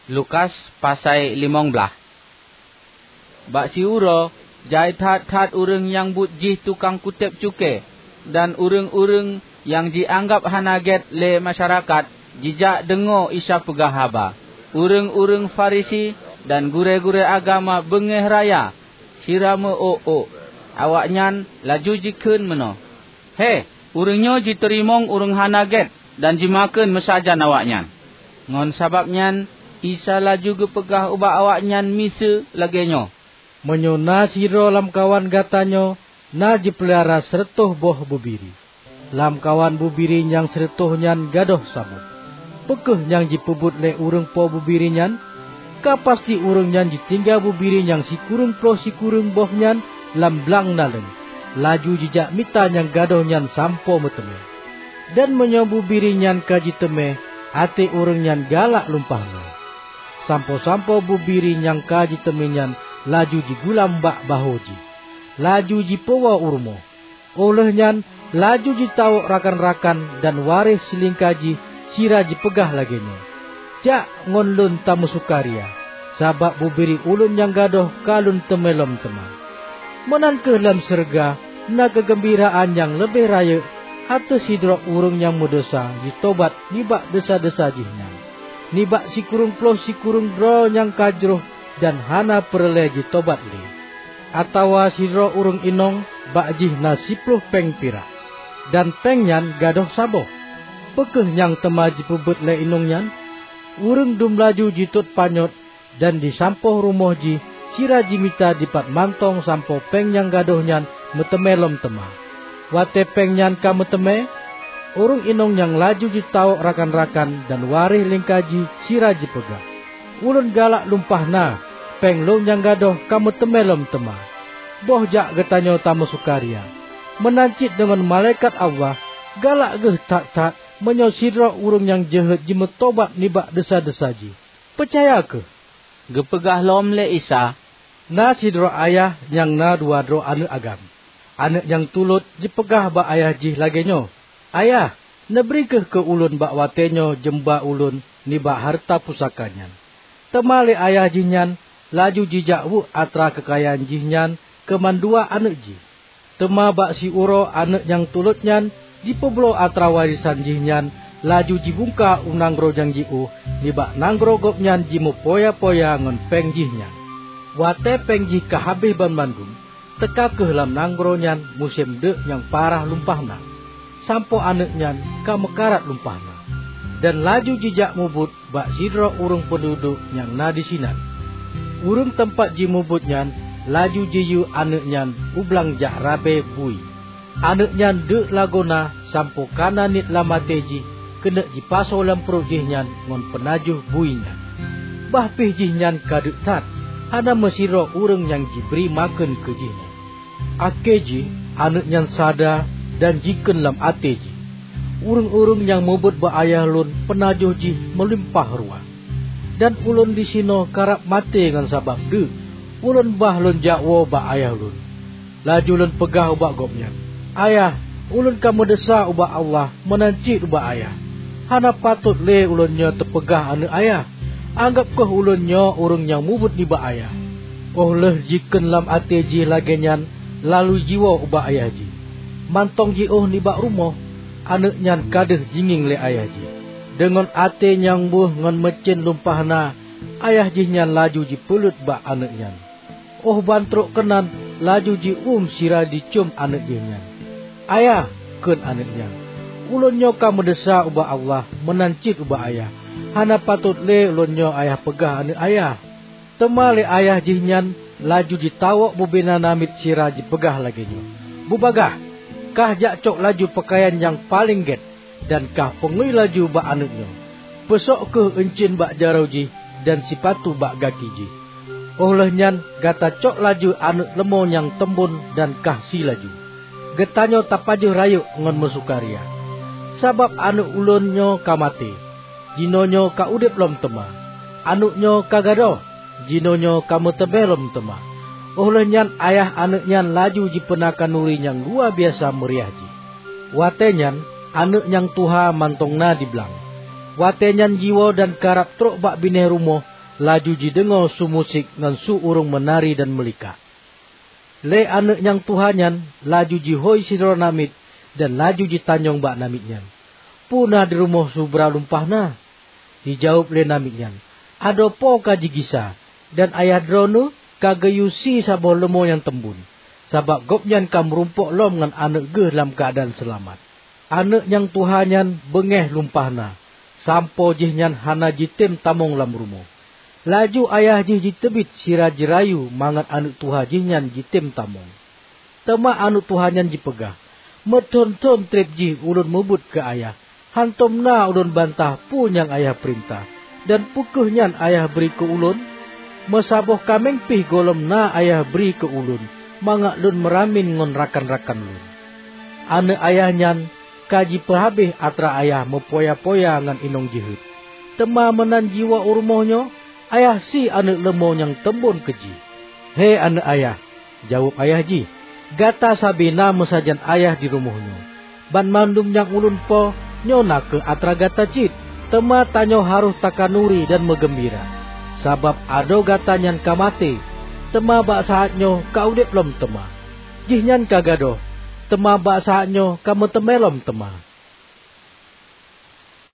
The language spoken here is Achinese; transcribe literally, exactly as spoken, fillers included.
Lukas pasai limong blaih. Bak siuroe, jai that-that ureuëng nyang buet jih tukang kutéb cukée dan ureuëng-ureuëng nyang jianggab hana gét lé masyarakat jijak deungoe Isa peugah haba. Ureuëng-ureuëng Farisi dan gurée-gurée agama beungéh raya sira meu-ôk-ôk. Awaknyan laju jikheun meunoe, "He, ureuëng nyoe jiteurimong ureuëng hana gét dan jimakheun meusajan awaknyan." Ngon sabab nyan, Isa laju geupeugah ubak awaknyan miseue lagée nyoe, "Meunyoe na sidroe lamkawan gata nyoe na jipeulara sireutôh boh bubiri, lamkawan bubiri nyang sireutôh nyan gadôh saboh, peu kheueh nyang jipeubuet lé ureuëng po bubiri nyan? Ka pasti ureuëng nyan jitinggai bubiri nyang sikureueng ploh sikureueng boh nyan lam blang naleueng, laju jijak mita nyang gadôh nyan sampoe meuteumé. Dan meunyoe bubiri nyan ka jiteumé, até ureuëng nyan galak lumpah na. Sampoe-sampoe bubiri nyang ka jiteumé nyan laju jigulam bak bahô jih, laju jipeuwoe u rumoh. Óh lheueh nyan laju jitawök rakan-rakan dan waréh silingka jih sira jipeugah lagée nyoe, 'Jak ngon lôn tameusukaria, sabab bubiri ulôn nyang gadôh ka lôn teumé lom teuma.' Meunan kheueh lam syeuruga na keugeumbiraan nyang leubeh rayeuk ateueh sidroe ureuëng nyang meudesya jitobat nibak desya-desya jih nyan, nibak sikureueng ploh sikureueng droe nyang ka jroh dan hana peureulée jitobat lé. Atawa sidroe ureuëng inong bak jih na siploh péng pirak, dan péng nyan gadôh saboh. Peu kheueh nyang teuma jipeubuet lé inong nyan? Ureuëng dum laju jitot panyöt dan jisampoe rumoh jih sira jimita dipat mantong sampoe péng nyang gadôh nyan meuteumé lom teuma. Watée péng nyan ka meuteumé, ureuëng inong nyan laju jitawök rakan-rakan dan waréh lingka jih sira jipeugah, 'Ulôn galak lumpah na, péng lôn nyang gadôh ka meuteumé lom teuma. Boh jak geutanyoe tameusukaria, meunan cit deungon malaikat Allah galak geuh that-that meunyoe sidroe ureuëng nyang jeuhet jimeutobat nibak desya-desya jih.' Peucaya kheueh," geupeugah lom lé Isa, "Na sidroe ayah nyang na dua droe aneuëk agam. Aneuëk nyang tulot jipeugah bak ayah jih lagée nyoe, 'Ayah, neubri kheueh keu ulôn bak watée nyoe jeumba ulôn nibak hareuta pusaka nyan.' Teuma lé ayah jih nyan laju jijak weuek atra keukayaan jih nyan keu mandua aneuëk jih. Teuma bak siuroe aneuëk nyang tulot nyan jipeubloe atra warésan jih nyan, laju jibungka u nanggroe nyang jiôh nibak nanggroe gobnyan jimeupoya-poya ngon péng jih nyan. Watée péng jih ka habéh banmandum, teuka kheueh lam nanggroe nyan musém deuk nyang parah lumpah na, sampoe aneuëk nyan ka meukarat lumpah na, dan laju jijak mubuet bak sidroe ureuëng peududuek nyang na disinan. Ureuëng teumpat jimubuet nyan laju jiyue aneuëk nyan u blang jak rabe bui. Aneuëk nyan deuk lagoena sampoe ka na niet lam até jih keuneuk jipasoe lam pruet jih nyan ngon peunajoh bui nyan. Bah pih jih nyan ka deuk that, hana meusidroe ureuëng nyang jibri makheun keu jih nyan. Akhé jih aneuëk nyan sada dan jikheun lam até jih, 'Ureuëng-ureuëng nyang mubuet bak ayah lôn peunajoh jih meulimpah ruah, dan ulôn disinoe karab maté ngon sabab deuk. Ulôn bah lôn jak woe bak ayah lôn.' Laju lôn peugah ubak gobnyan, 'Ayah, ulôn ka meudesya ubak Allah meunan cit ubak ayah. Hana patot lé ulôn nyoe teupeugah aneuëk ayah. Anggab kheueh ulôn nyoe ureuëng nyang mubuet nibak ayah.' Óh lheueh jikheun lam até jih lagée nyan, laju jiwoe ubak ayah jih. Mantong jiôh nibak rumoh, aneuëk nyan ka deuh jingieng lé ayah jih. Deungon até nyang beuh ngon meucén lumpah na, ayah jih nyan laju jipeuleuet bak aneuëk nyan. Óh ban trok keunan laju jiuem sira jicöm aneuëk jih nyan. 'Ayah,' kheun aneuëk nyan, 'ulôn nyoe ka meudesya ubak Allah meunan cit ubak ayah. Hana patot lé ulôn nyoe ayah peugah aneuëk ayah.' Teuma lé ayah jih nyan laju jitawök bubena namiet sira jipeugah lagée nyoe, 'Bubagaih, kah jak cok laju peukayan nyang paleng gét dan kah peungui laju bak aneuëk nyoe. Peusok kheueh euncien bak jaroe jih dan sipatu bak gaki jih. Óh lheueh nyan gata cok laju aneuëk leumô nyang teumbon dan kah sie laju. Geutanyoe tapajoh rayeuk ngon meusukaria, sabab aneuëk ulôn nyoe ka maté, jinoenyoe ka udeb lom teuma. Aneuëk nyoe ka gadôh, jinoenyoe ka meuteumé lom teuma." Óh lheueh nyan ayah aneuëk nyan laju jipeuna khanuri nyang luwa biasa meuriah jih. Watée nyan aneuëk nyang tuha mantong na di blang. Watée nyan jiwoe dan karab trok bak binéh rumoh, laju jideungoe su musik ngon su ureuëng meunari dan meulikak. Lé aneuëk nyang tuha nyan laju jihôi sidroe namiet dan laju jitanyong bak namiet nyan, "Peue na di rumoh subra lumpah na?" Jijaweueb lé namiet nyan, "Adoe po ka jigisa, dan ayah droeneueh ka geuyue sie saboh leumô nyang teumbon, sabab gobnyan ka meurumpok lom ngon aneuëk geuh lam keuadaan seulamat." Aneuëk nyang tuha nyan beungéh lumpah na, sampoe jihnyan hana jitem tamong lam rumoh. Laju ayah jih jiteubiet sira jirayu mangat aneuëk tuha jihnyan jitem tamong. Teuma aneuëk tuha nyan jipeugah, "Meuthon-thon treb jih ulôn mubuet keu ayah, hántom na ulôn bantah peue nyang ayah peurintah. Dan peu kheueh nyan ayah bri keu ulôn? Meusaboh kaméng pih gohlom na ayah bri keu ulôn, mangat lôn meuramin ngon rakan-rakan lôn." Aneuëk ayah nyan ka jipeuhabéh atra ayah meupoya-poya ngon inong jeuhet. Teuma meunan jiwoe u rumoh nyoe, ayah sie aneuëk leumô nyang teumbon keu jih. "He aneuëk ayah," jaweueb ayah jih, "gata sabe na meusajan ayah di rumoh nyoe. Banmandum nyang ulôn po nyoe na kheueh atra gata cit. Teuma tanyoe harôh takanuri dan meugeumbira, sabab adoe gata nyan ka maté, teuma bak saát nyoe ka udeb lom teuma. Jihnyan ka gadôh, teuma bak saát nyoe ka meuteumé lom teuma."